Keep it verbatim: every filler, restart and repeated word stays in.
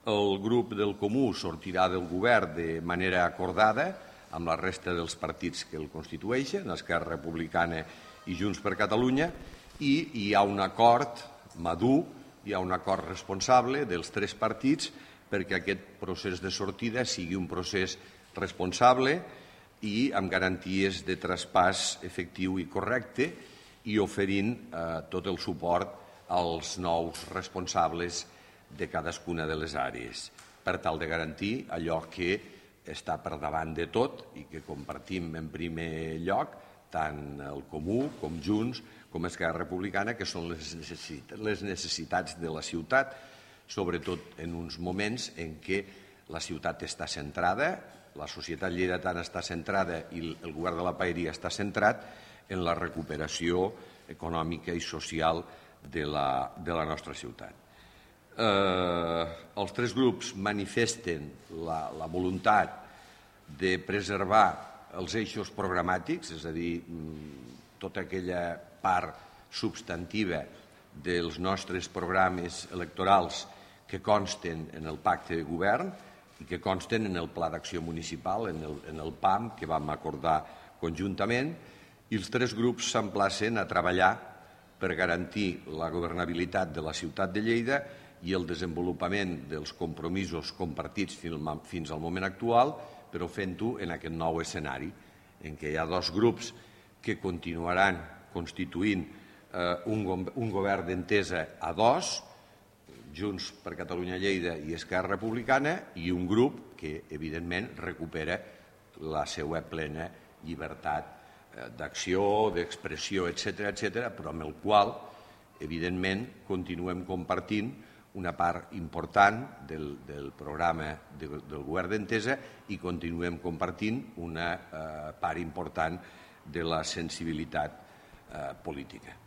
El grup del Comú sortirà del govern de manera acordada amb la resta dels partits que el constitueixen, Esquerra Republicana i Junts per Catalunya, i hi ha un acord madur, hi ha un acord responsable dels tres partits perquè aquest procés de sortida sigui un procés responsable i amb garanties de traspàs efectiu i correcte i oferint eh, tot el suport als nous responsables de cadascuna de les àrees, per tal de garantir allò que està per davant de tot i que compartim en primer lloc tant el Comú com Junts com Esquerra Republicana, que són les necessitats de la ciutat, sobretot en uns moments en què la ciutat està centrada, la societat lleidatana està centrada i el govern de la Paeria està centrat en la recuperació econòmica i social de la, de la nostra ciutat. Eh, els tres grups manifesten la, la voluntat de preservar els eixos programàtics, és a dir, tota aquella part substantiva dels nostres programes electorals que consten en el pacte de govern i que consten en el Pla d'Acció Municipal, en el, en el P A M, que vam acordar conjuntament, i els tres grups s'emplacen a treballar per garantir la governabilitat de la ciutat de Lleida i el desenvolupament dels compromisos compartits fins al moment actual, però fent-ho en aquest nou escenari, en què hi ha dos grups que continuaran constituint eh, un, un govern d'entesa a dos, Junts per Catalunya Lleida i Esquerra Republicana, i un grup que, evidentment, recupera la seva plena llibertat eh, d'acció, d'expressió, etcètera, etcètera, però amb el qual, evidentment, continuem compartint una part important del, del programa de, del govern d'entesa i continuem compartint una eh, part important de la sensibilitat eh, política.